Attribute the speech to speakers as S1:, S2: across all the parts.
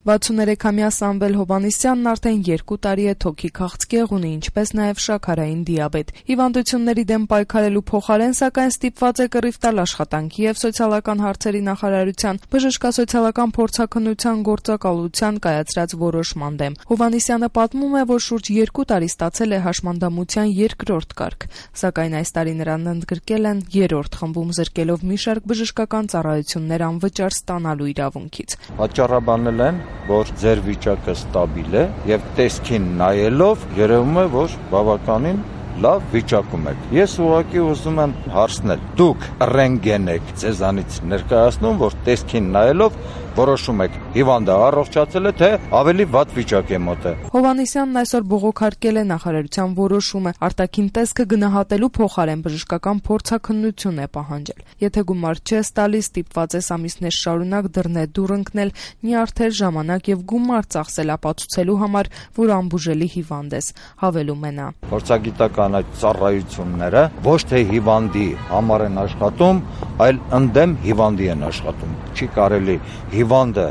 S1: 63-ամյա Սամվել Հովհաննիսյանն արդեն 2 տարի է թոքի քաղցկեղ ունի, ինչպես նաև շաքարային դիաբետ։ Հիվանդությունների դեմ պայքարելու փոխարեն, սակայն, ստիպված է կռիվ տալ աշխատանքի և սոցիալական հարցերի նախարարության բժշկասոցիալական փորձաքննության գործակալության կայացրած որոշման դեմ։ Հովհաննիսյանը պատմում է, որ շուրջ 2 տարի ստացել է հաշմանդամության 2-րդ կարգ, սակայն այս տարի նրան ընդգրկել են 3-րդ խմբում, զրկելով մի շարք բժշկական ծառայություններ անվճար ստանալու իրավունքից։
S2: Պատճառաբանել են, որ ձեր վիճակը ստաբիլ է եւ տեսքին նայելով երևում է, որ բավականին լավ վիճակում եք։ Ես ուղղակի ուզում եմ հարցնել. դուք ռենտգեն եք ձեզանից ներկայացնում, որ տեսքին նայելով որոշում եք հիվանդը առողջացել է, թե ավելի վատ վիճակ է մոտ է։
S1: Հովհաննիսյանն այսօր բողոքարկել է նախարարության որոշումը, արտաքին տեսքը գնահատելու փոխարեն բժշկական փորձաքննություն է պահանջել։ Եթե գումար չես տալիս, ստիպված ես ամիսներ շարունակ դռնեդուռ ընկնել, նյարդեր, ժամանակ եւ գումար ծախսել ապացուցելու համար, որ անբուժելի հիվանդ ես, հավելում է նա։
S2: Փորձագիտական այդ ծառայությունները ոչ թե հիվանդի համար են աշխատում, այլ ընդդեմ հիվանդի են աշխատում։ Չի կարելի հիվանդը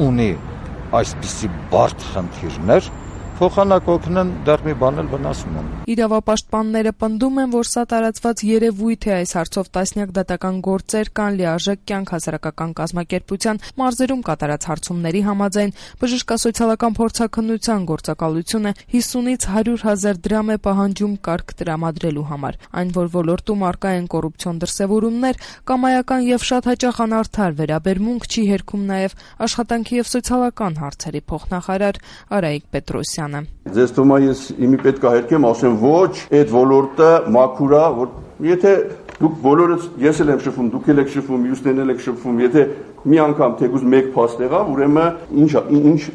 S2: ունի այսպիսի բարդ խնդիրներ, փոխանակ օգնեն, դեռ մի բան էլ վնասում են։
S1: Իրավապաշտպանները պնդում են, որ սա տարածված երևույթ է, այս հարցով տասնյակ դատական գործեր կան, լիարժեք կյանք հասարակական կազմակերպության մարզերում կատարած հարցումների համաձայն բժշկասոցիալական փորձաքննության գործակալությունը 50-ից 100,000 դրամ է պահանջում կարգ տրամադրելու համար։ Այն, որ ոլորտում առկա են կոռուպցիոն դրսևորումներ, կամայական եւ շատ հաճախ անարդար վերաբերմունք չի հերքում նաեւ աշխատանքի եւ սոցիալական հարցերի փոխնախարար Արայիկ Պետրոսյանը։
S3: Ձեզ թվում է ես իմի պետք է հերքեմ, ասեմ ոչ, այդ ոլորտը մաքուր է, որ եթե դուք բոլորս ես էլ եմ շփվում, դուք էլ եք շփվում, մյուսներն էլ եք շփվում, եթե մի անգամ թեկուզ մեկ փաստ եղավ, ուրեմն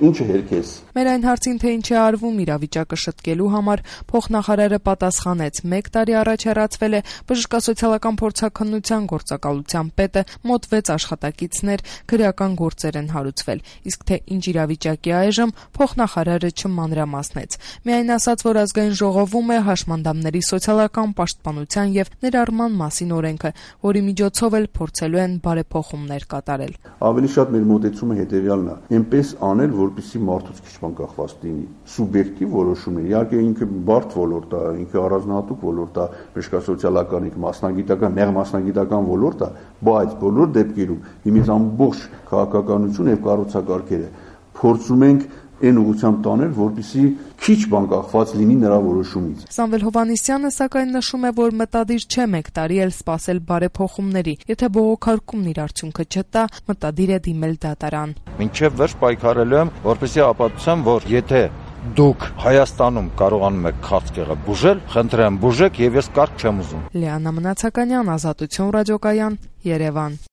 S3: ինչը հերքես։
S1: Մեր այն հարցին, թե ինչ է արվում իրավիճակը շտկելու համար, փոխնախարարը պատասխանեց. 1 տարի առաջ հեռացվել է բժշկասոցիալական փորձաքննության գործակալության պետը, մոտ 6 աշխատակիցներ, քրեական գործեր են հարուցվել, իսկ թե ինչ իրավիճակի այժմ, փոխնախարարը չմանրամասնեց։ Միայն ասաց, որ ազգային ժողովում է հաշմանդամների սոցիալական պաշտպանության եւ ներառման մասին օրենքը, որի միջոցով էլ փորձելու են բարեփոխումներ կատարել։
S3: Ավելի շատ մեր մոտեցումը հետեւյալն է. այնպես անել, որպեսզի մարդուց քիչ բան կախված լինի։ Սուբյեկտիվ որոշումներ, իհարկե ինքը բարդ ոլորտ է, ինքը առանձնահատուկ ոլորտ է, բժշկասոցիալական, մասնագիտական, նեղ մասնագիտական ոլորտ է, բայց բոլոր դեպքերում իմից ամբողջ քաղաքականություն եւ կառուցակարգերը փորձում ենք այն ուղղությամբ տանել, որպեսզի քիչ բան կախված լինի նրա որոշումից։
S1: Սամվել Հովհաննիսյանը սակայն նշում է, որ մտադիր չէ 1 տարի էլ սպասել բարեփոխումների, եթե բողոքարկումն իր արդյունքը չտա, մտադիր է դիմել դատարան։
S2: Մինչև վերջ պայքարելու եմ, որպեսզի ապացուցեմ, որ եթե դուք Հայաստանում կարողանում եք քաղցկեղը բուժել, խնդրեմ բուժեք եւ ես կարգ չեմ ուզում։
S1: Լիանա Մնացականյան, Ազատություն ռադիոկայան, Երևան։